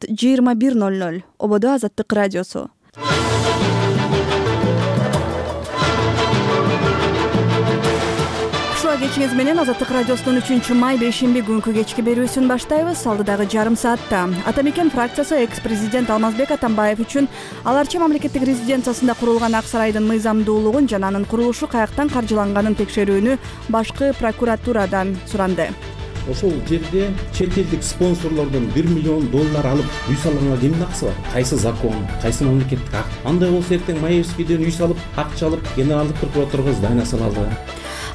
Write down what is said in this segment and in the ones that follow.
21:00 Ободо Азаттык радиосу. Кечиңиз менен Азаттык радиосунун 3-май бейшемби күнкү кечки берүүсүн баштайбыз. Алдыдагы жарым саатта Ата Мекен фракциясы экс-президент Алмазбек Атамбаев үчүн аларча мамлекеттик резиденциясында курулган Ак сарайдын мыйзамдуулугун жана анын курулушу каяктан каржыланганын текшерүүнү башкы прокуратурадан суранды. Ошол жерде чет элдик спонсорлордон $1 миллион алып үй салганга кимдин акысы бар? Кайсы закон, кайсы мамлекеттик акт? Андай болсо эртең Маевскийден үй салып, акча алып, генералдык прокуратурага здание салалы.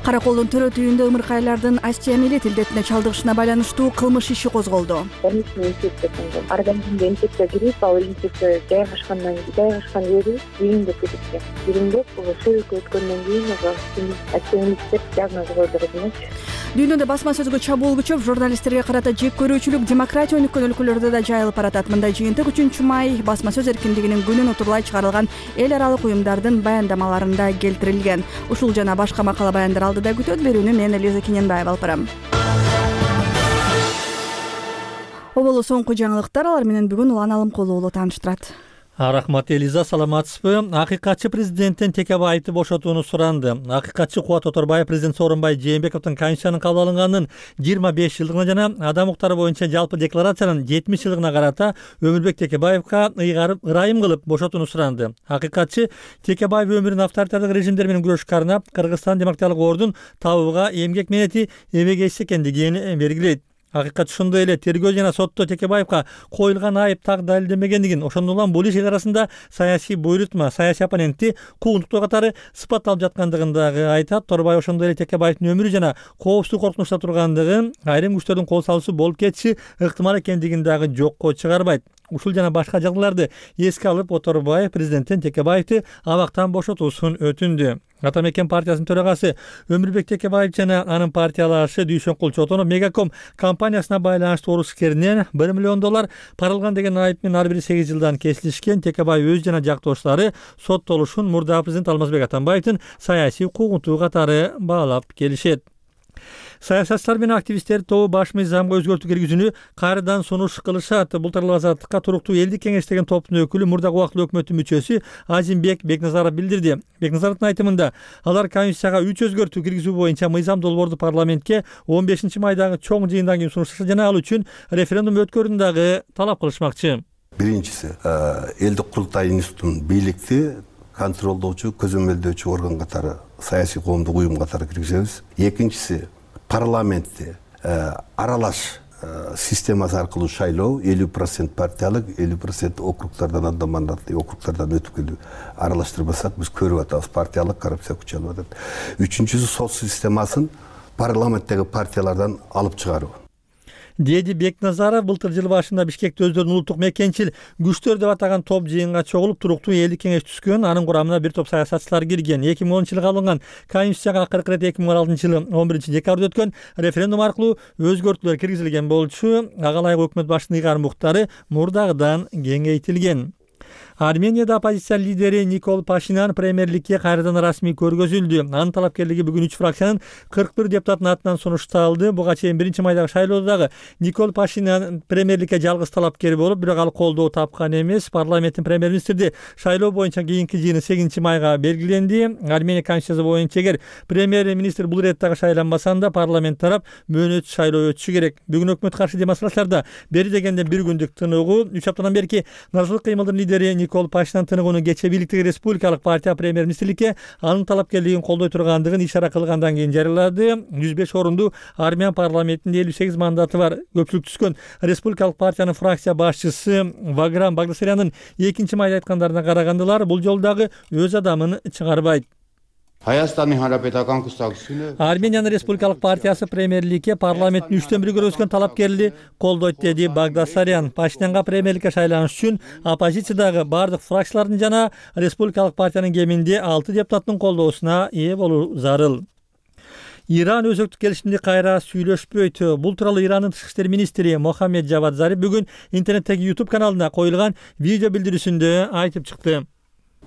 Караколдун төрөт үйүндө ымыркайлардын Астия милет илдетине чалдыгышына байланыштуу кылмыш иши козголду. Организмге инфекция кирип, ал инфекция жайгашкан жери бириңдеп кеткен. Бириңдеп сөйкө өткөндөн кийин Астия милеттер диагноз койду. Дүйнөдө басма сөзгө чабуул күчөп, журналисттерге карата жек көрүүчүлүк демократия өнүккөн өлкөлөрдө да жайылып баратат. Мындай жыйынтык 3-май басма сөз эркиндигинин күнүн утурлай чыгарылган эл аралык уюмдардын баяндамаларында келтирилген. Ушул жана башка макала баяндар алдыда күтөт. Берүүнү мен Элиза Кененбаева алып барам. Оболу соңку жаңылыктар, алар менен бүгүн Улан Алымкулуу уулу тааныштырат. Рахмат Элиза, саламатсызбы? Акыйкатчы президенттен Текебаевди бошотууну суранды. Акыйкатчы Кубат Оторбаев президент Сооронбай Жээнбековдун Конституциянын кабыл алынганын 25 жылдыгына жана адам укуктары боюнча жалпы декларациянын 70 жылдыгына карата Өмүрбек Текебаевга ырайым кылып бошотууну суранды. Акыйкатчы Текебаев өмүрүн авторитардык режимдер менен күрөшкө арнап, Кыргызстан демократиялык ордун табууга эмгек мээнети эбегейсиз экендигин белгилейт. Акыйкат ошондой эле тергөө жана сотто Текебаевга коюлган айып так далилденбегендигин, ошондон улам бул иш эл арасында саясий буйрутма, саясий оппонентти куугунтуктоо катары сыпатталып жаткандыгын дагы айтат. Торбай ошондой эле Текебаевдин өмүрү жана коопсуздук коркунучта тургандыгын, айрым күчтөрдүн кол салуусу болуп кетиши ыктымал экендигин дагы жокко чыгарбайт. Ушул жана башка жагдайларды эске алып, Оторбаев президенттен Текебаевди абактан бошотуусун өтүндү. Ата Мекен партиясынын төрагасы Өмүрбек Текебаев жана анын партиялашы Дүйшөнкул Чотонов Мегаком компаниясына байланыштуу орус искеринен $1 миллион парылган деген айып менен ар бири 8 жылдан кесилишкен. Текебаев өз жана жактоштары соттолушун мурдагы президент Алмазбек Атамбаевдин саясий куугунтугу катары баалап келишет. Саясатчылар менен активисттер тобу баш мыйзамга өзгөртүү киргизүүнү кайрадан сунуш кылышат. Былтырлык Азаттыкка туруктуу элдик кеңеш деген топтун өкүлү, мурдагы убактылуу өкмөттүн мүчөсү Азимбек Бекназаров билдирди. Бекназаровдун айтымында, алар Конституцияга 3 өзгөртүү киргизүү боюнча мыйзам долбоорду парламентке 15-майдагы чоң жыйындан кийин сунушташат жана ал үчүн референдум өткөрүүнү дагы талап кылышмакчы. Биринчиси, элдик курултай институтун бийликти контролдоочу, көзөмөлдөөчү орган катары, саясий коомдук уюм катары киргизебиз. Экинчиси, парламентте аралаш системасы аркылуу шайлоо, 50% партиялык, 50% округдардан, анда мандаттуу округдардан өтүп келүү. Аралаштырбасак биз көрүп атабыз, партиялык коррупция күчөлүп атат. Үчүнчүсү, сот системасын парламенттеги партиялардан алып чыгаруу. Деди Бекназаров былтыр жыл башында Бишкекте өздөрүнүн улуттук мекенчил күчтөр деп атаган топ жыйынга чогулуп, туруктуу элдик кеңеш түзгөн. Анын курамына бир топ саясатчылар кирген. 2010-жылы алынган Конституцияга акыркы ирет 2016-жылы 11-декабрда өткөн референдум аркылуу өзгөртүүлөр киргизилген болчу. Ага ылайык өкмөт башчынын ыйгарым укуктары мурдагыдан кеңейтилген. Арменияда оппозиция лидери Никол Пашинян премьерликке кайрадан расмий көргөзүлдү. Анын талапкерлиги бүгүн 3 фракциянын 41 депутатынын атынан сунушталды. Буга чейин 1-майдагы шайлоодо дагы Никол Пашинян премьерликке жалгыз талапкер болуп, бирок ал колдоо тапкан эмес. Парламенттин премьер-министрди шайлоо боюнча кийинки жыйыны 8-майга белгиленди. Армения конституциясы боюнча эгер премьер-министр бул ирет дагы шайланбаса, анда парламент тарап мөөнөт шайлоо өтүшү керек. Бүгүн өкмөт каршы демонстрацияларда бери дегенде 1 күндүк тыныгуу. 3 аптадан берки Назылык кыймылдын лидери Никол Пашинян тыныгууну кече бийликтеги республикалык партия премьер-министрликке анын талапкерлигин колдой тургандыгын ишара кылгандан кийин жарыялады. 105 орунду армян парламентинде 58 мандаты бар көпчүлүк түзгөн республикалык партиянын фракция башчысы Ваграм Багдасаряндын 2-майда айткандарына карагандылар, бул жолдагы өз адамын чыгарбайт. Армениянын республикалык партиясы премьерликке парламенттин 3/1 көргөзгөн талапкерли колдойт, деди Багдасарян. Пашинянга премьерликке шайланыш үчүн оппозициядагы бардык фракциялардын жана республикалык партиянын кеминде 6 депутаттын колдоосуна ээ болуу зарыл. Иран өзөктүк келишимди кайра сүйлөшпөйт. Бул тууралуу Ирандын тышкы иштер министри Мохаммед Жавад Зариф бүгүн интернеттеги YouTube каналына коюлган видео билдирүүсүндө айтып чыкты.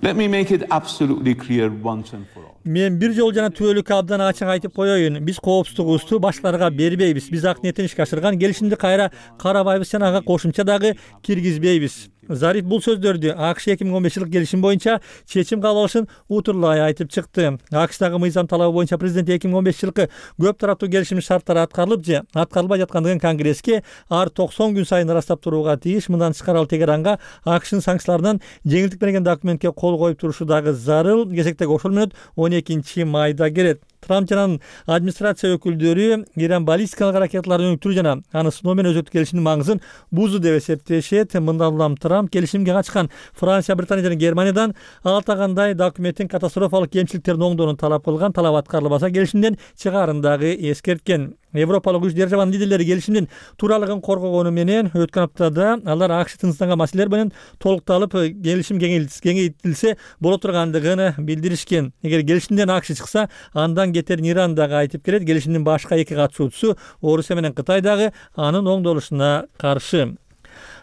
Let me make it absolutely clear once and for all. Мен бир жолу жана түбөлүккө абдан ачык айтып коеюн. Биз коопсуздугубузду башкаларга бербейбиз. Биз ак ниетин ишке ашырган келишимди кайра карабайбыз жана ага кошумча дагы киргизбейбиз. Зариф бул сөздөрдү АКШ 2015-жылык келишим боюнча чечим кабыл алышын утурлай айтып чыкты. АКШдагы мыйзам талабы боюнча президент 2015-жылкы көп тараптуу келишим шарттары аткарылып же аткарылбай жаткандыгын Конгресске ар 90 күн сайын ырастап турууга тийиш. Мындан тышкары ал Тегеранга АКШнын санкцияларынан жеңилдик берген документке кол коюп турушу дагы зарыл. Кезектеги ошол мүнөт 12-майда келет. Трамп жана администрация өкүлдөрү Иран баллистикалык ракеталарын өнүктүрүү жана аны сыноо менен өзөктүк келишимдин маңызын бузду деп эсептешет. Мындан улам Трамп келишимге катышкан Франция, Британия жана Германиядан алтагандай документтин катастрофалык кемчиликтерин оңдоону талап кылган. Талап аткарылбаса келишимден чыгаарын дагы эскерткен. Европалык үч державанын лидерлери келишимдин тууралыгын коргогону менен өткөн аптада алар АКШ тынчсызданган маселелер менен толукталып келишим кеңейтилсе боло тургандыгын билдиришкен. Эгер келишимден АКШ чыкса, андан кетерин Иран дагы айтып келет. Келишимдин башка эки катышуучусу Орусия менен Кытай дагы анын оңдолушуна каршы.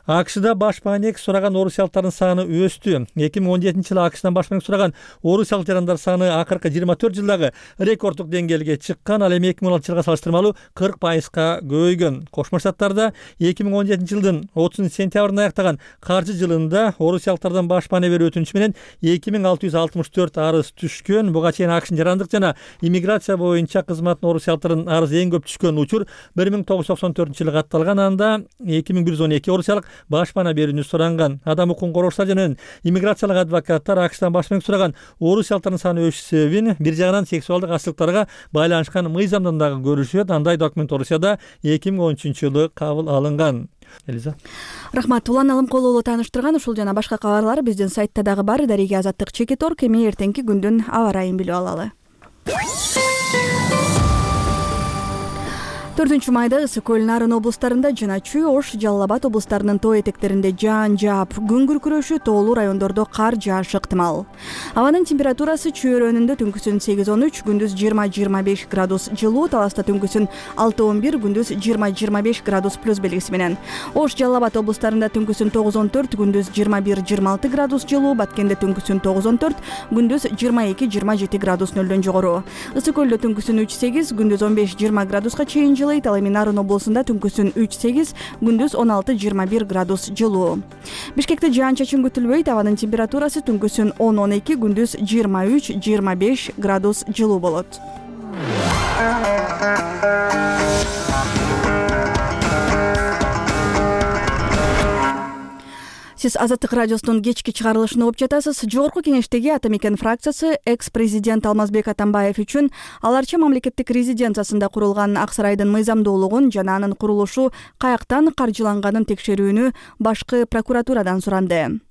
АКШда баш маанек сураган орусиялыктардын саны өстү. 2017-жылы АКШдан баш маанек сураган орусиялык жарандар саны акыркы 24 жылдагы рекорддук деңгээлге чыккан. Ал эми 2016-жылга салыштырмалуу 40%га көбөйгөн. Кошмо Штаттарда 2017-жылдын 30-сентябрында аяктаган каржы жылында орусиялыктардан баш маанек берүү өтүнүчү менен 2664 арыз түшкөн. Буга чейин АКШнын жарандык жана иммиграция боюнча кызматтын орусиялыктардын арызы эң көп түшкөн учур 1994-жылы катталган. Анда 2112 орусиялык баш маанек берүүнү суранган. Адам укугун коргоочулар жана иммиграциялык адвокаттар АКШдан баш маанек сураган орусиялыктардын саны өсүш себебин бир жагынан сексуалдык ачылыктарга байланышкан мыйзамдан дагы көрүшөт. Андай документ Орусияда 2013-жылы кабыл алынган. Элиза. Рахмат. Улан Алымкулуулу тааныштырган ушул жана башка кабарлар биздин сайтта дагы бар. Дарига Азаттык Чекит.org. Эми эртеңки күндүн аба ырайын билип алалы. 4-майда Ысык көл Нарын облустарында жана Чүй, Ош, Жалал Абад облустарынын тоо этектеринде жаан жаап, күн күркүрөшү, тоолуу райондордо кар жаашы ыктымал. Абанын температурасы Чүй өрөөнүндө түнкүсүн 8-13, күндүз 20-25 градус жылуу, Таласта түнкүсүн 6-11, күндүз 20-25 градус плюс белгиси менен. Ош, Жалал Абад облустарында түнкүсүн 9-14, күндүз 21-26 градус жылуу, Баткенде түнкүсүн 9-14, күндүз 22-27 градус нөлдөн жогору. Ысык көлдө түнкүсүн 3-8, күндүз 15-20 градуска чейин жылуу. Ал эми Нарын облусунда түнкүсүн 3-8, күндүз 16-21 градус жылуу. Бишкекте жаан-чачын күтүлбөйт. Абанын температурасы түнкүсүн 10-12, күндүз 23-25 градус жылуу болот. Сиз Азаттык радиосунун кечки чыгарылышын угуп жатасыз. Жогорку кеңештеги Атамекен фракциясы экс-президент Алмазбек Атамбаев үчүн аларча мамлекеттик резиденциясында курулган Ак сарайдын мыйзамдуулугун жана анын курулушу каяктан каржыланганын текшерүүнү башкы прокуратурадан суранды.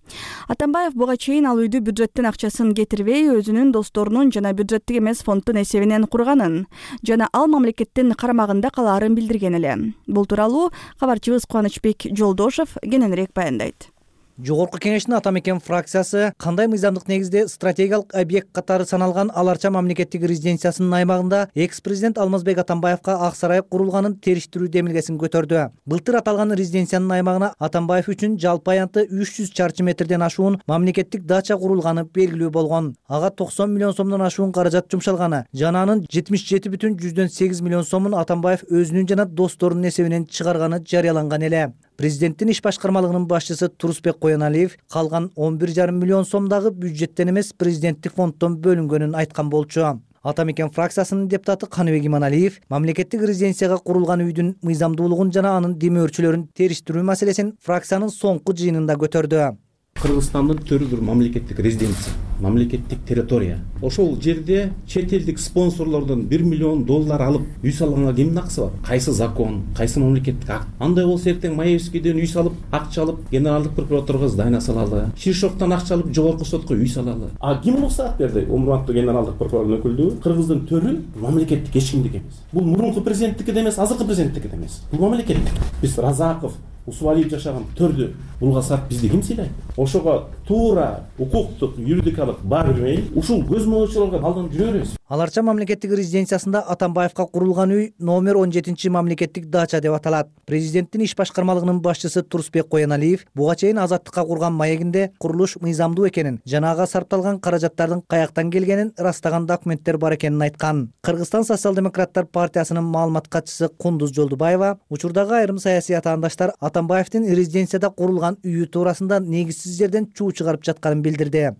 Атамбаев буга чейин ал үйдү бюджеттин акчасын кетирбей, өзүнүн досторунун жана бюджеттик эмес фонддун эсебинен курганын жана ал мамлекеттин карамагында калаарын билдирген эле. Бул тууралуу кабарчыбыз Кубанычбек Жолдошов кененирээк баяндайт. Жогорку кеңештин Атамекен фракциясы кандай мыйзамдык негизде стратегиялык объект катары саналган аларча мамлекеттик резиденциясынын аймагында экс-президент Алмазбек Атамбаевка Ак сарай курулганын териштирүү демилгесин көтөрдү. Былтыр аталган резиденциянын аймагына Атамбаев үчүн жалпы аянты 300 чарчы метрден ашуун мамлекеттик дача курулганы белгилүү болгон. Ага 90 миллион сомдон ашуун каражат жумшалганы жана анын 77,8 миллион сомун Атамбаев өзүнүн жана досторунун эсебинен чыгарганы жарыяланган эле. Президенттин иш башкармалыгынын башчысы Турусбек Коеналиев калган 11,5 миллион сомдагы бюджеттен эмес президенттик фонддон бөлүнгөнүн айткан болчу. Атамекен фракциясынын депутаты Каныбек Иманалиев мамлекеттик резиденцияга курулган үйдүн мыйзамдуулугун жана анын демөөрчүлөрүн териштирүү маселесин фракциянын соңку жыйынында көтөрдү. Кыргызстандын төрү мамлекеттик резиденция, мамлекеттик территория. Ошол жерде чет элдик спонсорлордон $1 миллион алып үй салганга кимдин акысы бар? Кайсы закон, кайсы мамлекеттик акт? Андай болсо эртең Маевскийден үй салып, акча алып, генералдык прокуратурага здание салалы. Шишоктон акча алып, жогорку сотко үй салалы. А ким болсо ак берди? Умурбактуу генералдык прокурордун өкүлдүгү Кыргыздын төрү мамлекеттик эч кимдики эмес. Бул мурунку президенттики да эмес, азыркы президенттики да эмес. Бул мамлекеттик. Биз Разаков, Усвалиев жашаган төрдү Булга саат бизди ким сыйлайт? Ошого туура укуктук, юридикалык баа бермей, ушул көзмоочуларга алданып жүрө беребиз. Аларча мамлекеттик резиденциясында Атамбаевка курулган үй номер 17 мамлекеттик дача деп аталат. Президенттин иш башкармалыгынын башчысы Турсбек Кояналиев буга чейин Азаттыкка курган маегинде курулуш мыйзамдуу экенин, жана ага сарпталган каражаттардын каяктан келгенин ырастаган документтер бар экенин айткан. Кыргызстан социал-демократтар партиясынын маалымат катчысы Кундуз Жолдубаева учурдагы айрым саясий атаандаштар Атамбаевдин резиденцияда курулган үйү туурасында негизсиз жерден чуу чыгарып жатканын билдирди.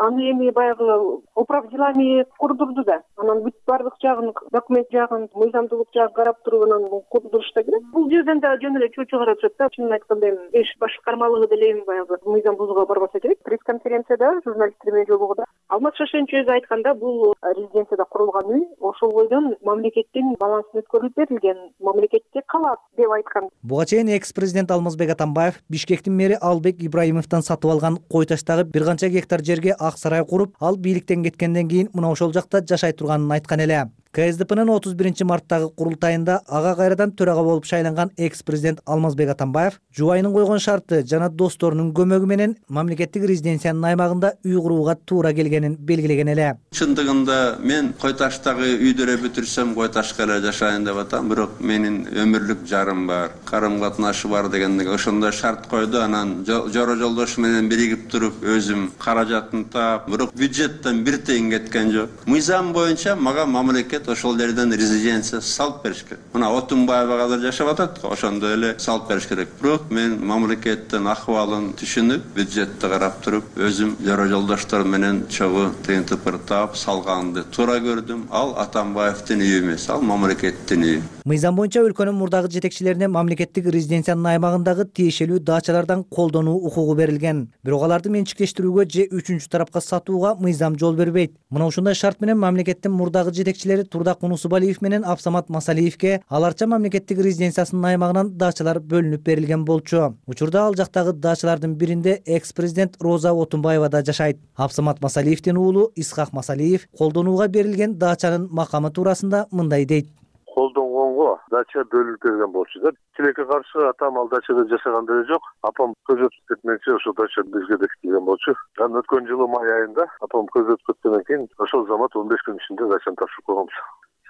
Аны эми баягы управ делами курдурду да. Анан бүт бардык жагын, документ жагын, мыйзамдуулук жагын карап туруп анан курдурушта керек. Бул жерден да жөн эле чуу чыгарып жатат да. Чынын айтканда эми иш башкармалыгы деле эми баягы мыйзам бузууга барбаса керек. Пресс-конференцияда журналисттер менен жолугуда Алмаз Шашенч өзү айтканда, бул резиденцияда курулган үй ошол бойдон мамлекеттин балансын өткөрүлүп берилген, мамлекетте калат деп айткан. Буга чейин экс-президент Алмазбек Атамбаев Бишкектин мэри Албек Ибраимовдон сатып алган кой таштагы бир канча гектар жерге ак сарай куруп, ал бийликтен кеткенден кийин мына ошол жакта жашай турганын айткан эле. КСДПнын 31-марттагы курултайында ага кайрадан төрага болуп шайланган экс-президент Алмазбек Атамбаев жубайынын койгон шарты жана досторунун көмөгү менен мамлекеттик резиденциянын аймагында үй курууга туура келгенин белгилеген эле. Чындыгында мен кой таштагы үйдөрө бүтүрсөм кой ташка эле жашайын деп атам, бирок менин өмүрлүк жарым бар, карым катнашы бар дегендеги ошондой шарт койду. Анан жора жолдошу менен биригип туруп өзүм каражатын таап, бирок бюджеттен бир тыйын кеткен жок. Мыйзам боюнча мага мамлекет ошол жерден резиденция салып бериш керек. Мына Отунбаева азыр жашап атат, ошондой эле салып бериш керек. Бирок мен мамлекеттин акыбалын түшүнүп, бюджетти карап туруп, өзүм жора жолдоштор менен чогуу тыйын тыпыр таап салганды туура көрдүм. Ал Атамбаевдин үйү эмес, ал мамлекеттин үйү. Мыйзам боюнча өлкөнүн мурдагы жетекчилерине мамлекеттик резиденциянын аймагындагы тиешелүү дачалардан колдонуу укугу берилген. Бирок аларды менчиктештирүүгө же үчүнчү тарапка сатууга мыйзам жол бербейт. Мына ушундай шарт менен мамлекеттин мурдагы жетекчилери Турдак Мунусубалиев менен Абсамат Масалиевке Аларча мамлекеттик резиденциясынын аймагынан дачалар бөлүнүп берилген болчу. Учурда ал жактагы дачалардын биринде экс-президент Роза Отунбаева да жашайт. Абсамат Масалиевдин уулу Исхак Масалиев колдонууга берилген дачанын макамы туурасында мындай дейт. Колдонгонго дача бөлүнүп берген болчу да. Тилекке каршы атам ал дачада жашаган деле жок. Апам көз өтүп кетмекчи ошол дача бизге бекитилген болчу. Анан өткөн жылы май айында апам көз өтүп кеткенден кийин ошол замат 15 күн ичинде дачаны тапшырып койгонбуз.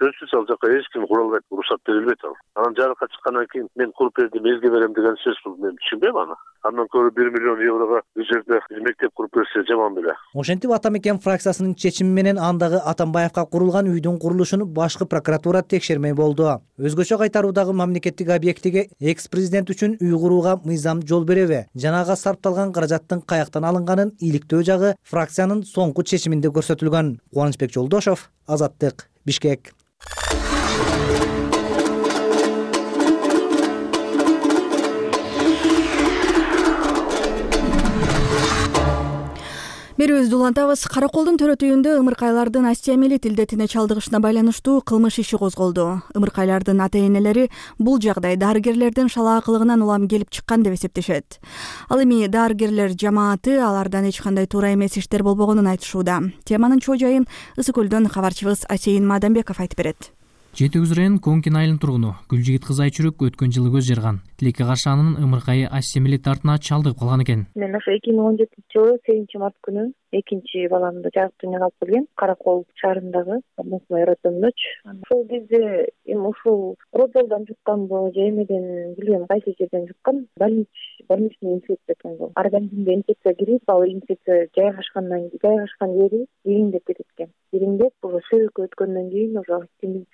Сөзсүз ал жака эч ким кура албайт, уруксат берилбейт ал. Анан жарыкка чыккандан кийин мен куруп бердим, элге берем деген сөз бул, мен түшүнбөйм аны. Андан көрө 1 миллион еврого бул жерде мектеп куруп берсе жаман беле. Ошентип Атамекен фракциясынын чечими менен андагы Атамбаевка курулган үйдүн курулушун башкы прокуратура текшермей болду. Өзгөчө кайтаруудагы мамлекеттик объектиге экс-президент үчүн үй курууга мыйзам жол береби жана ага сарпталган каражаттын каяктан алынганын иликтөө жагы фракциянын соңку чечиминде көрсөтүлгөн. Кубанычбек Жолдошов, Азаттык, Бишкек. Берүүбүздү улантабыз. Караколдун төрөтүйүндө ымыркайлардын остеомиелит илдетине чалдыгышына байланыштуу кылмыш иши козголду. Ымыркайлардын ата-энелери бул жагдай дарыгерлердин шалаакылыгынан улам келип чыккан деп эсептешет. Ал эми дарыгерлер жамааты алардан эч кандай туура эмес иштер болбогонун айтышууда. Теманын чоо жайын Ысык көлдөн кабарчыбыз Асейин Мадамбеков айтып берет. Жети Өгүз районунун Конкин айылынын тургуну Гүлжигит кыз Айчүрүк өткөн жылы көз жарган. Тилекке каршы анын ымыркайы остеомиелит дартына чалдыгып калган экен. Мен ошо 2017-жылы 8-март күнү экинчи баламды жарык дүйнөгө алып келгем. Каракол шаарындагы Мусмай районундач. Ошол кезде эми ушул роддомдон жукканбы же эмеден билбейм, кайсы жерден жуккан, больничный инфекция экен бул. Организмге инфекция кирип, ал инфекция жайгашкан жери ириңдеп кеткен. Ириңдеп, уже сөөккө өткөндөн кийин уже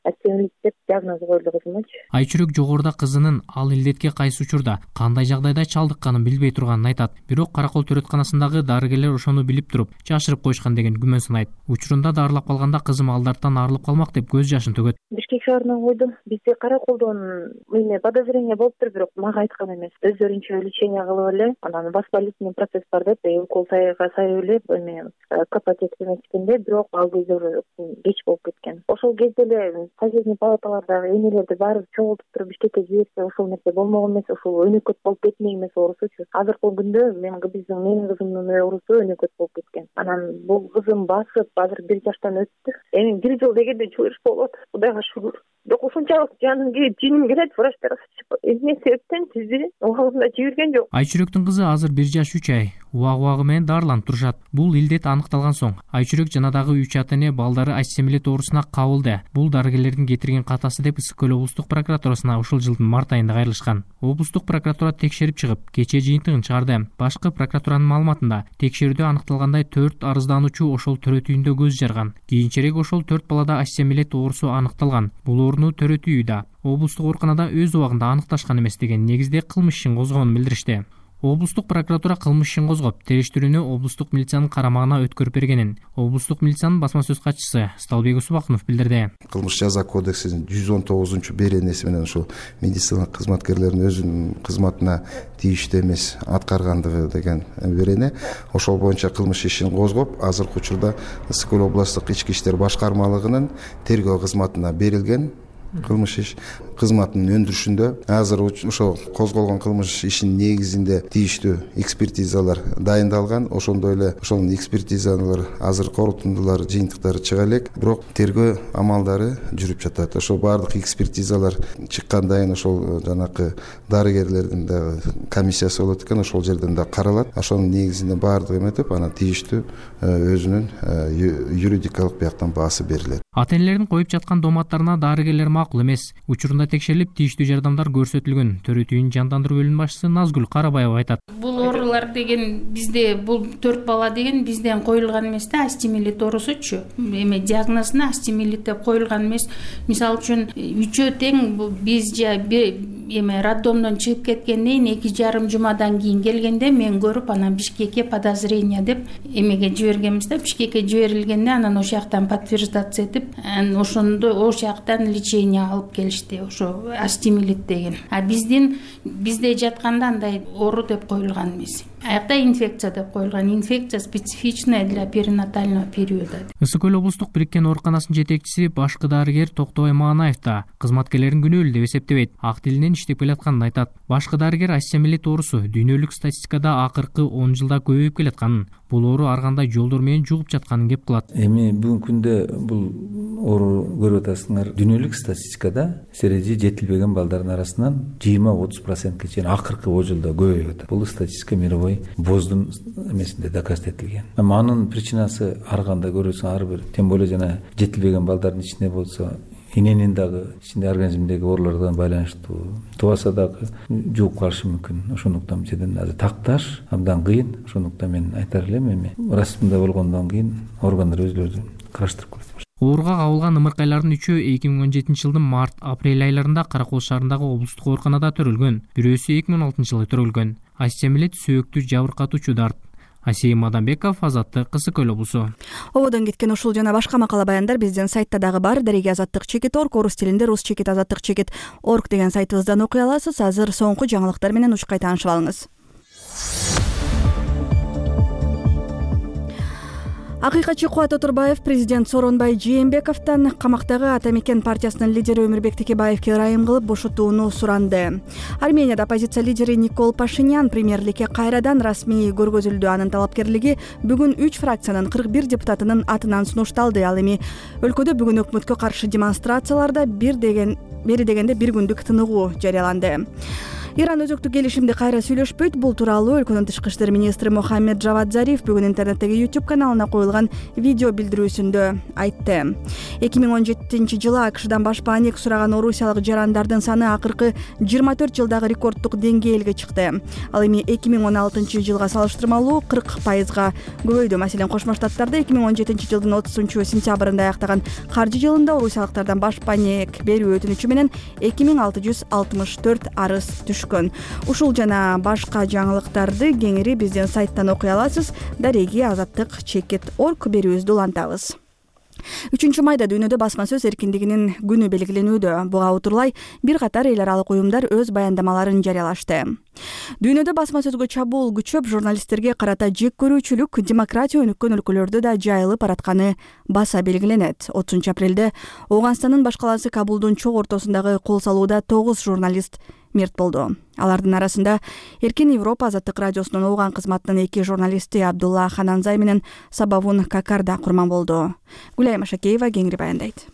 остеомиелит деп диагноз коюлду кызымачы. Айчүрүк жогоруда кызынын ал илдетке кайсы учурда, кандай жагдайда чалдыкканын билбей турганын айтат. Бирок Каракол төрөтканасындагы дарыгерлер ошону билип туруп, жашырып коюшкан деген күмөн санайт. Учурунда дарылап калганда кызым ал дарттан арылып калмак деп көз жашын төгөт. Бишкек шаарынан койдум. Бизде Караколдон эме подозрение болуптур, бирок мага айткан эмес. Өздөрүнчө лечение кылып эле, анан воспалительный процесс бар деп, укол сайга сайып эле эме капать эткенде, бирок ал кезде уже кеч болуп кеткен. Ошол кезде эле соседний палаталардагы энелерди баары чогултуп туруп Бишкекке жиберсе, ошол нерсе болмогон эмес, ошол өнөкөт болуп кетмек эмес оорусучу. Азыркы күндө менин кызымдын оорусу өнөкөт болуп кеткен. Анан бул кызым басып, азыр 1 жаштан өттү. Эми 1 жыл дегенде чыгыш болот. Кудайга шүгүр. бирок ушунчалык жиним келет врачтар эмне себептен сизди убагында жиберген жок. Айчүрөктүн кызы азыр 1 жаш 3 ай убагы менен дарыланып турушат. Бул илдет аныкталган соң Айчүрөк жана дагы 3 ата эне балдары астемилет оорусуна кабылды. Бул дарыгерлердин кетирген катасы деп Ысык көл облустук прокуратурасына ушул жылдын март айында кайрылышкан. Облустук прокуратура текшерип чыгып, кечээ жыйынтыгын чыгарды. Башкы прокуратуранын маалыматында текшерүүдө аныкталгандай 4 арыздануучу ошол төрөтүйүндө көз жарган. Кийинчерээк ошол 4 балада астемилет оорусу аныкталган. Бул ооруну төрөтүйү да облустук ооруканада өз убагында аныкташкан эмес деген негизде кылмыш ишин козгогонун билдиришти. Облустук прокуратура кылмыш ишин козгоп, териштирүүнү облустук милициянын карамагына өткөрүп бергенин облустук милициянын басма сөз катчысы Сталбек Усубакунов билдирди. Кылмыш жаза кодексинин 119 беренеси менен ушул медициналык кызматкерлердин өзүнүн кызматына тийиштүү эмес аткаргандыгы деген берене. Ошол боюнча кылмыш ишин козгоп, азыркы учурда Ысык көл облустук ички иштер башкармалыгынын тергөө кызматына берилген. Кылмыш иш кызматынын өндүрүшүндө азыр ошол козголгон кылмыш ишинин негизинде тийиштүү экспертизалар дайындалган. Ошондой эле ошонун экспертизалар азыр корутундулар жыйынтыктары чыга элек, бирок тергөө амалдары жүрүп жатат. Ошол баардык экспертизалар чыккандан кийин ошол жанакы дарыгерлердин дагы комиссиясы болот экен, ошол жерден да каралат. Ошонун негизинде баардыгы эметип, анан тийиштүү өзүнүн юридикалык бияктан баасы берилет. Ата-энелердин коюп жаткан доматтарына дарыгерлер макул эмес. Учурунда текшерилип, тийиштүү жардамдар көрсөтүлгөн. Төрөтүйүнүн жандандыруу бөлүмүнүн башчысы Назгүл Карабаева айтат. Бул оорулар деген бизде бул 4 бала деген бизден коюлган эмес да, астемилет оорусучу. Эме диагнозуна астемилет деп коюлган эмес. Мисалы үчүн 3-өө тең биз эме роддомдон чыгып кеткенден 2,5 жумадан кийин келгенде мен көрүп, анан Бишкекке подозрение деп эмеге жибергенбиз да. Бишкекке жиберилгенде анан ошол жактан подтверждация этип, ошондо ошол жактан лечение алып келишти, ошо астемилет деген. А бизде жатканда андай оору деп коюлган эмес. Аякта инфекция деп коюлган. Инфекция специфичная для перинатального периода. Ысык көл облустук бириккен ооруканасынын жетекчиси башкы дарыгер Токтобай Маанаев да кызматкерлерин күнөөлүү деп эсептебейт. Ак тилинен иштеп келатканын айтат. Башкы дарыгер астемилет оорусу дүйнөлүк статистикада акыркы 10 жылда көбөйүп келатканын, бул оору ар кандай жолдор менен жугуп жатканын кеп кылат. Эми бүгүнкү күндө бул оору көрүп атасыңар. Дүйнөлүк статистикада сережи жетилбеген балдардын арасынан 20-30%ке чейин акыркы 10 жылда көбөйүп атат. Бул статистика мировой боздун эмесинде доказ этилген. Анын причинасы ар кандай көрөсүң, ар бир, тем более жана жетилбеген балдардын ичинде болсо эненин дагы ичинде организмдеги оорулардан байланыштуу, тубаса дагы жугуп калышы мүмкүн. Ошондуктан жерден азыр такташ абдан кыйын. Ошондуктан мен айтар элем, эми расмында болгондон кийин органдар өзлөрү караштырып коет. Ооруга кабылган ымыркайлардын 3-өө 2017 жылдын март-апрель айларында Каракол шаарындагы облустук ооруканада төрөлгөн. Бирөөсү 2016 жылы төрөлгөн. Астемилет сөөктү жабыркатуучу дарт. Асия Маданбеков, Азаттык, Ысык көл облусу. Ободон кеткен ушул жана башка макала баяндар биздин сайтта дагы бар. Дареги Азаттык.org, орус тилинде rus.azаттык.org деген сайтыбыздан окуй аласыз. Азыр соңку жаңылыктар менен учкай таанышып алыңыз. Акыйкатчы Кубат Оторбаев президент Сооронбай Жээнбековдон камактагы Ата Мекен партиясынын лидери Өмүрбек Текебаевге ырайым кылып бошотууну суранды. Арменияда оппозиция лидери Никол Пашинян премьерликке кайрадан расмий көргөзүлдү. Анын талапкерлиги бүгүн 3 фракциянын 41 депутатынын атынан сунушталды. Ал эми өлкөдө бүгүн өкмөткө каршы демонстрацияларда бери дегенде 1 күндүк тыныгуу жарыяланды. Иран өзөктүк келишимди кайра сүйлөшпөйт. Бул тууралуу өлкөнүн тышкы иштер министри Мохаммед Джавад Зариф бүгүн интернеттеги YouTube каналына коюлган видео билдирүүсүндө айтты. 2017-жылы АКШдан башпаанек сураган орусиялык жарандардын саны акыркы 24 жылдагы рекорддук деңгээлге чыкты. Ал эми 2016 жылга салыштырмалуу 40%га көбөйдү. Маселен, Кошмо Штаттарда 2017 жылдын 30 сентябрында аяктаган каржы жылында орусиялыктардан башпаанек берүү өтүнүчү менен 2664 арыз түшкөн. Ушул жана башка жаңылыктарды кеңири биздин сайттан окуй аласыз. Дареги Азаттык.org берүүбүздү улантабыз. 3 майда дүйнөдө басма сөз эркиндигинин күнү белгиленүүдө. Буга утурлай бир катар эл аралык уюмдар өз баяндамаларын жарыялашты. Дүйнөдө басма сөзгө чабуул күчөп, журналисттерге карата жек көрүүчүлүк демократия өнүккөн өлкөлөрдө да жайылып баратканы баса белгиленет. 30 апрелде Ооганстандын баш калаасы Кабулдун чок ортосундагы кол салууда 9 журналист мерт болду. Алардын арасында Эркин Европа Азаттык радиосунун Ооган кызматынын 2 журналисти Абдулла Хананзай менен Сабавун Какар да курман болду. Гүлайым Ашакеева кеңири баяндайт.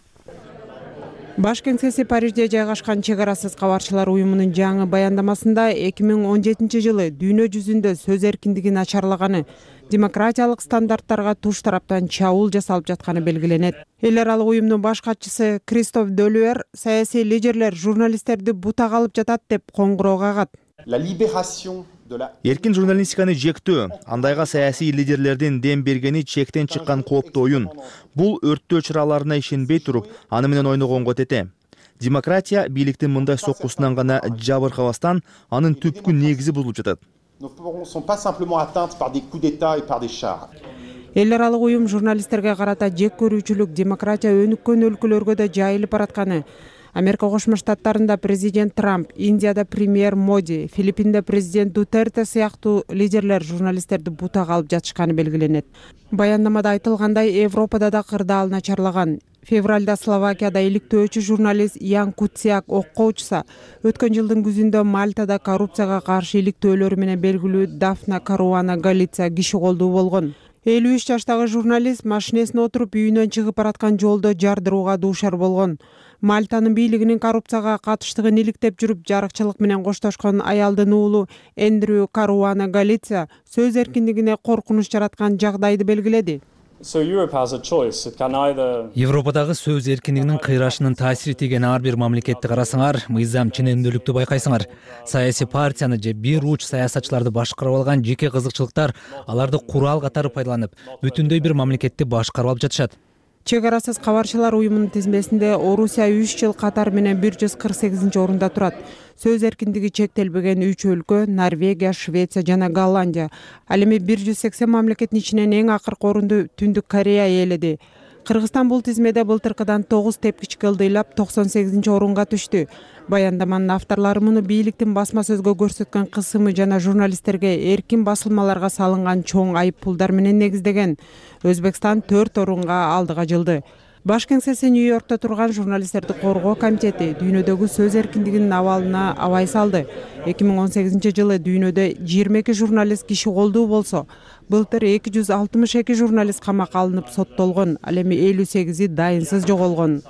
Баш кеңсеси Парижде жайгашкан Чек арасыз кабарчылар уюмунун жаңы баяндамасында 2017 жылы дүйнө жүзүндө сөз эркиндиги начарлаганы, демократиялык стандарттарга туш тараптан чабуул жасалып жатканы белгиленет. Эл аралык уюмдун баш катчысы Кристоф Делюер саясий лидерлер журналисттерди бутак алып жатат деп коңгуроо кагат. Эркин журналистиканы жектөө, андайга саясий лидерлердин дем бергени чектен чыккан кооптуу оюн. Бул өрттөө чыраларына ишенбей туруп, аны менен ойногонго тете. Демократия бийликтин мындай соккусунан гана жабыркабастан, анын түпкү негизи бузулуп жатат. Эл аралык уюм журналисттерге карата жек көрүүчүлүк демократия өнүккөн өлкөлөргө да жайылып баратканы, Америка Кошмо Штаттарында президент Трамп, Индияда премьер Моди, Филиппинде президент Дутерте сыяктуу лидерлер журналисттерди бутак алып жатышканы белгиленет. Баяндамада айтылгандай, Европада да кырдаал начарлаган. Февралда Словакияда иликтөөчү журналист Ян Куцяк окко учса, өткөн жылдын күзүндө Мальтада коррупцияга каршы иликтөөлөрү менен белгилүү Дафна Каруана Галиция киши колдуу болгон. 53 жаштагы журналист машинесине отуруп үйүнөн чыгып бараткан жолдо жардырууга дуушар болгон. Мальтанын бийлигинин коррупцияга катыштыгын иликтеп жүрүп жарыкчылык менен коштошкон аялдын уулу Эндрю Каруана Галиция сөз эркиндигине коркунуч жараткан жагдайды белгиледи. Европадагы сөз эркиндигинин кыйрашынын таасири тийген ар бир мамлекетти карасаңар, мыйзам ченемдүүлүктү байкайсыңар. Саясий партияны же бир уч саясатчыларды башкарып алган жеке кызыкчылыктар аларды курал катары пайдаланып, бүтүндөй бир мамлекетти башкарып алып жатышат. Чек арасыз кабарчылар уюмунун тизмесинде Орусия 3 жыл катар менен 148-орунда турат. Сөз эркиндиги чектелбеген 3 өлкө — Норвегия, Швеция жана Голландия. Ал эми 180 мамлекеттин ичинен эң акыркы орунду Түндүк Корея ээледи. Кыргызстан бул тизмеде былтыркыдан 9 тепкичке ылдыйлап 98-орунга түштү. Баяндаманын авторлору муну бийликтин басма сөзгө көрсөткөн кысымы жана журналисттерге эркин басылмаларга салынган чоң айыппулдар менен негиздеген. Өзбекстан 4 орунга алдыга жылды. Баш кеңсеси Нью-Йоркто турган журналисттерди коргоо комитети дүйнөдөгү сөз эркиндигинин абалына абай салды. 2018 жылы дүйнөдө 22 журналист киши колдуу болсо, былтыр 262 журналист камакка алынып соттолгон, ал эми 58-и дайынсыз жоголгон.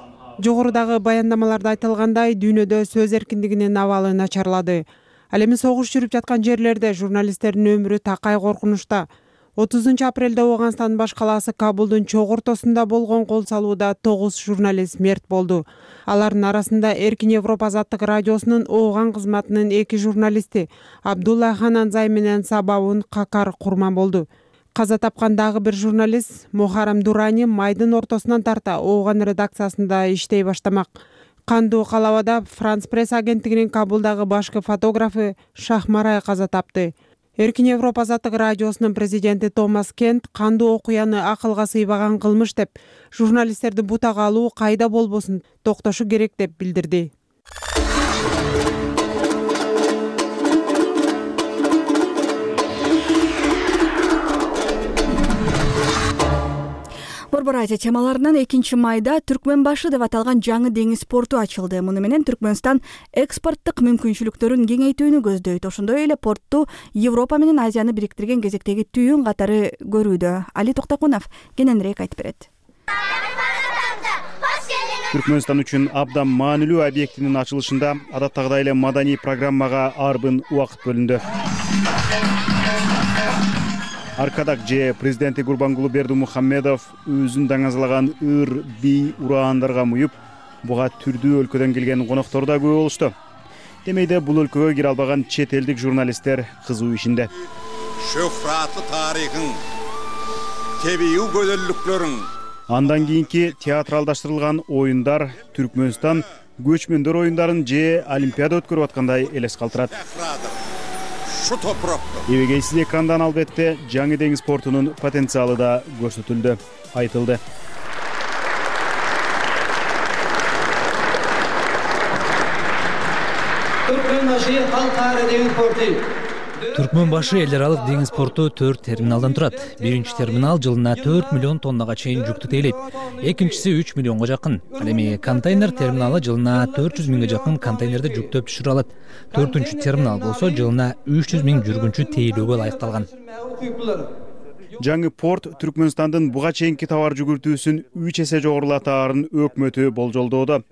Жогорудагы баяндамаларда айтылгандай, дүйнөдө сөз эркиндигинин абалы начарлады. Ал эми согуш жүрүп жаткан жерлерде журналисттердин өмүрү такай коркунучта. 30 апрелде Ооганстандын баш калаасы Кабулдун чок ортосунда болгон кол салууда 9 журналист мерт болду. Алардын арасында Эркин Европа азаттык радиосунун Ооган кызматынын 2 журналисти Абдулла Хананзай менен Сабаун Какар курман болду. Каза тапкан дагы бир журналист Мухарам Дурани майдын ортосунан тарта Ооган редакциясында иштей баштамак. Кандуу калабада Франс пресс агенттигинин Кабулдагы башкы фотографы Шахмарай каза тапты. Эркин Европа азаттык радиосунун президенти Томас Кент кандуу окуяны акылга сыйбаган кылмыш деп, журналисттерди бутак алуу кайда болбосун токтошу керек деп билдирди. Борбор Азия темаларынан 2 майда Түркмөнбашы деп аталган жаңы деңиз порту ачылды. Муну менен Түркмөнстан экспорттук мүмкүнчүлүктөрүн кеңейтүүнү көздөйт. Ошондой эле портту Европа менен Азияны бириктирген кезектеги түйүн катары көрүүдө. Али Токтакунов кененирээк айтып берет. Түркмөнстан үчүн абдан маанилүү объектинин ачылышында адаттагыдай эле маданий программага арбын убакыт бөлүндү. Аркадак же президенти Гурбангулы Бердимухамедов өзүн даңазалаган ыр, бий, ураандарга муюп, буга түрдүү өлкөдөн келген коноктор да көп болушту. Демейде бул өлкөгө кире албаган чет элдик журналисттер кызуу ишинде. Шөһраты тарыхың, тебии көзөллүктөрүң. Андан кийинки театралдаштырылган оюндар Түркмөнстан көчмөндөр оюндарын же Олимпиада өткөрүп аткандай элес калтырат. Эбегейсиз экрандан албетте жаңы деңиз портунун потенциалы да көрсөтүлдү, айтылды. Түркмөнбашы эл аралык деңиз порту 4 терминалдан турат. Биринчи терминал жылына 4 миллион тоннага чейин жүктү тейлейт. Экинчиси 3 миллионго жакын. Ал эми контейнер терминалы жылына 400 миңге жакын контейнерди жүктөп түшүрө алат. 4-үнчү терминал болсо жылына 300 миң жүргүнчү тейлөөгө ылайыкталган. Жаңы порт Түркмөнстандын буга чейинки товар жүгүртүүсүн 3 эсе жогорулатаарын өкмөтү болжолдоодо.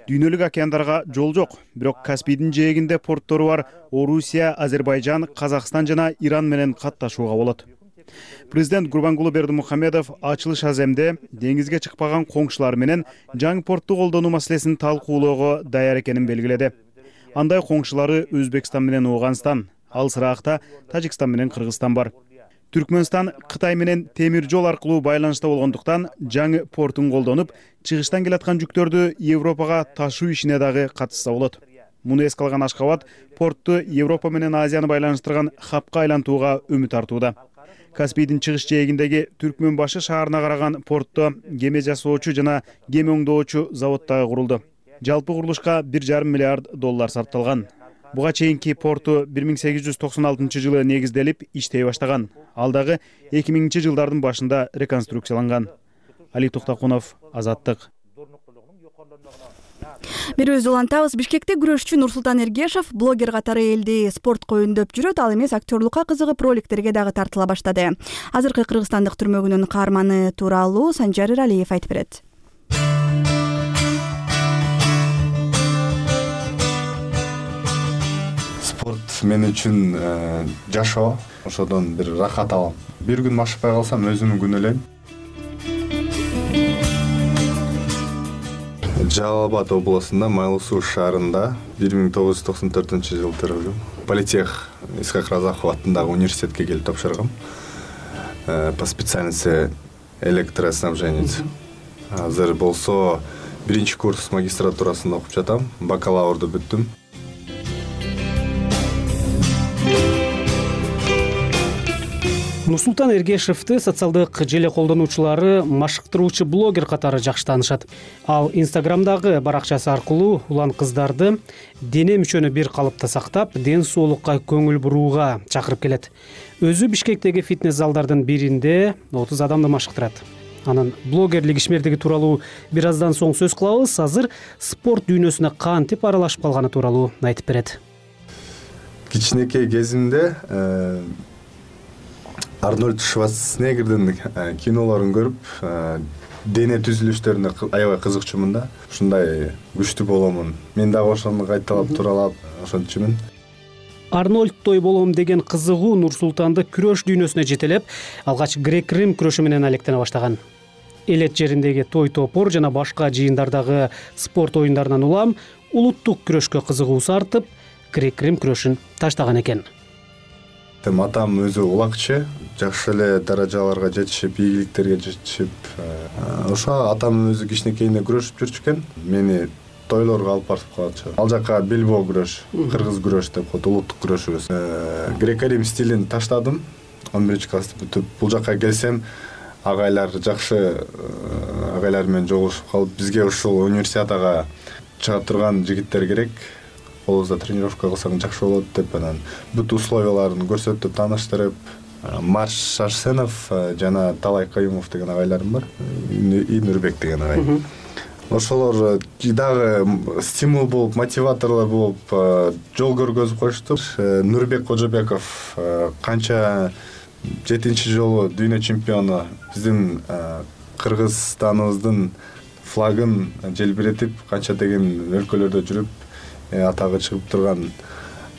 Дүйнөлүк океандарга жол жок, бирок Каспийдин жээгинде порттору бар Орусия, Азербайжан, Казакстан жана Иран менен катташууга болот. Президент Гурбангулы Бердимухамедов ачылыш аземде деңизге чыкпаган коңшулар менен жаңы портты колдонуу маселесин талкуулоого даяр экенин белгиледи. Андай коңшулары Өзбекстан менен Ооганстан, ал сыраакта Тажикстан менен Кыргызстан бар. Түркмөнстан Кытай менен темир жол аркылуу байланышта болгондуктан жаңы портун колдонуп, чыгыштан келаткан жүктөрдү Европага ташуу ишине дагы катышса болот. Муну эске алган Ашкабад портту Европа менен Азияны байланыштырган хабка айлантууга үмүт артууда. Каспийдин чыгыш жээгиндеги Түркмөнбашы шаарына караган портто кеме жасоочу жана кеме оңдоочу завод дагы курулду. Жалпы курулушка $1,5 миллиард сарпталган. Буга чейинки порту 1896 жылы негизделип иштей баштаган. Ал дагы 2000 жылдардын башында реконструкцияланган. Али Токтокунов, Азаттык. Берүүбүздү улантабыз. Бишкекте күрөшчү Нурсултан Эргешев блогер катары элди спортко өндөп жүрөт, ал эмес актерлукка кызыгып роликтерге дагы тартыла баштады. Азыркы кыргызстандык түрмөгүнүн каарманы тууралуу Санжар Иралиев айтып берет. Спорт мен үчүн жашоо, ошодон бир рахат алам. Бир күн машыкпай калсам өзүмдү күнөөлөйм. Жалал-Абад областында Майлуу Суу шаарында 1994 жылы төрөлгөм. Политех Исхак Разахов атындагы университетке келип тапшыргам. По специальности электроснабженец. Азыр болсо 1-курс магистратурасында окуп жатам. Бакалаврду бүттүм. Нурсултан Эргешевди социалдык желе колдонуучулары машыктыруучу блогер катары жакшы таанышат. Ал Инстаграмдагы баракчасы аркылуу улан кыздарды дене мүчөнү бир калыпта сактап, ден соолукка көңүл бурууга чакырып келет. Өзү Бишкектеги фитнес залдардын биринде 30 адамды машыктырат. Анын блогерлик ишмердиги тууралуу бир аздан соң сөз кылабыз. Азыр спорт дүйнөсүнө кантип аралашып калганы тууралуу айтып берет. Кичинекей кезимде Арнольд Шварценеггердин кинолорун көрүп, дене түзүлүштөрүнө аябай кызыкчумун да. Ушундай күчтүү боломун. Мен дагы ошону кайталап туралап ошончумун. Арнольдтой болом деген кызыгуу Нурсултанды күрөш дүйнөсүнө жетелеп, алгач грек-рим күрөшү менен алектене баштаган. Элет жериндеги той топор жана башка жыйындардагы спорт оюндарынан улам улуттук күрөшкө кызыгуусу артып, грек-рим күрөшүн таштаган экен. Атам өзү улакчы, жакшы эле даражаларга жетишип, ийгиликтерге жетишип, ошо атам өзү кичинекейинде күрөшүп жүрчү экен. Мени тойлорго алып барып калчу. Ал жака бельбо күрөш, кыргыз күрөш деп коет, улуттук күрөшүбүз. Грек-рим стилин таштадым. 11-классты бүтүп, бул жака келсем, агайлар жакшы агайлар менен жолугушуп калып, бизге ушул универсиадага чыга турган жигиттер керек. Олузда тренировка кылсаң жакшы болот деп, анан бүт условияларын көрсөтүп, тааныштырып, Марш Арсенов жана Талай Каюмов деген агайларым бар. И Нурбек деген агай. Ошолор дагы стимул болуп, мотиваторлор болуп, жол көргөзүп коюшту. Нурбек Кожобеков канча 7-жолу дүйнө чемпиону, биздин Кыргызстаныбыздын флагын желбиретип, канча деген өлкөлөрдө жүрүп, атагы чыгып турган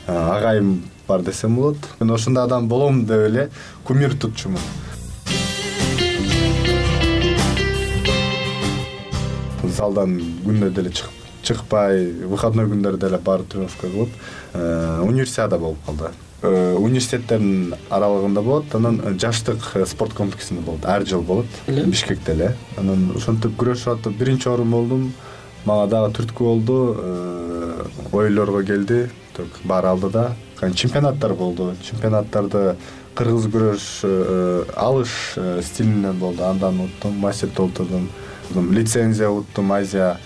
агайым бар десем болот. Мен ошондой адам болом деп эле кумир тутчумун. Залдан күндө деле чыкпай, выходной күндөрдө деле барып тренировка кылып, универсиада болуп калды. Университеттердин аралыгында болот, анан жаштык спорт комплексинде болот, ар жыл болот, Бишкекте эле. Анан ошентип күрөшүп атып 1-орун болдум. Мага дагы түрткү болду, ойлорго келди, бар алдыда. Чемпионаттар болду. Чемпионаттарды кыргыз күрөш алыш стилинен болду. Андан уттум, мастерде отурдум. Лицензия уттум, Азия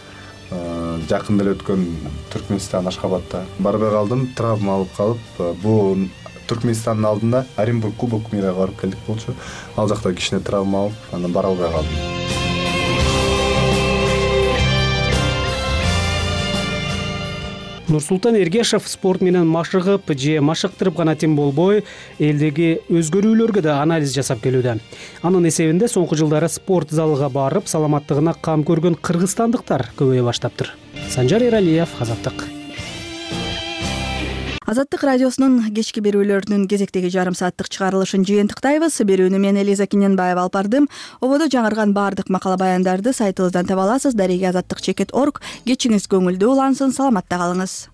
жакында эле өткөн Түркмөнстан Ашхабадта. Барбай калдым, травма алып калып, бул Түркмөнстандын алдында Оренбург Кубок мира барып келдик болчу. Ал жакта кичине травма алып, анан бара албай калдым. Нурсултан Эргешев спорт менен машыгып же машыктырып гана тим болбой, элдеги өзгөрүүлөргө да анализ жасап келүүдө. Анын эсебинде соңку жылдары спорт залыга барып, саламаттыгына кам көргөн кыргызстандыктар көбөйө баштаптыр. Санжар Эралиев, Азаттык. Азаттык радиосунун кечки берүүлөрүнүн кезектеги жарым сааттык чыгарылышын жыйынтыктайбыз. Берүүнү мен Элиза Киненбаева алып бардым. Ободо жаңырган баардык макала баяндарды сайтыбыздан таба аласыз. Дареги azаттык.org. Кечиңиз көңүлдүү улансын, саламатта калыңыз.